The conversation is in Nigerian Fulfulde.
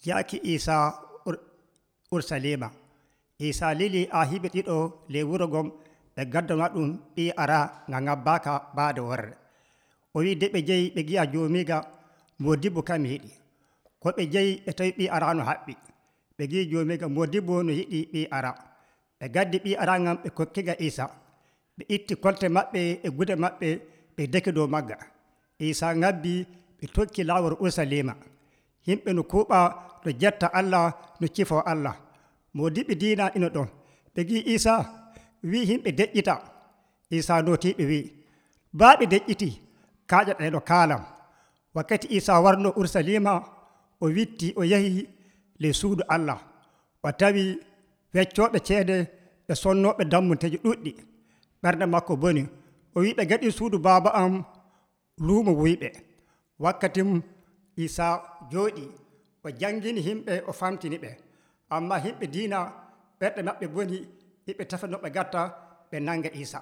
Yaaki Isa Urusalima. Isa lili hiɓe ɗiɗo ley wuro ngon ɓe gaddana ɗum ɓii ara nga ngabbaaka baade worre. O wi nde ɓe jehi ɓe gi'a joomiiga Moodibbo kam mi yiɗi. Ko ɓe jehi ɓe tawi ɓii ara no haɓɓi. Ɓe gi'i joomiiga Moodibbo no yiɗi ɓii ara. Ɓe gaddi ɓii ara ngan ɓe kokkiga Isa. Ɓe itti kolte maɓɓe e gude maɓɓe ɓe deki dow magga. Isa ngabbi ɓe tokki laawol Urusalima. Yimɓe no kuuɓa no jetta Allah no cifoo Allah. Moodiɓɓe diina ina ɗon. Ɓe gi'i Isa wii yimɓe deƴƴita. Isa nootii ɓe wii baa ɓe deƴƴitii kaaƴoɗeeno kaalam. Wakkati Isa warno Urusalima o witti o yahi ley suudu Allah. O tawi weccooɓe ceede e sonnooɓe dammunteeji ɗuɗɗi. Ɓernde makko boni. O wii ɓe gaɗii suudu Baaba am luumo wuyɓe. Wakkati Isa jooɗii o janngini yimɓe o famtini ɓe. Ammaa yimɓe diina ɓerɗe maɓɓe boni hiɓe tefa no ɓe gatta ɓe nanga Isa.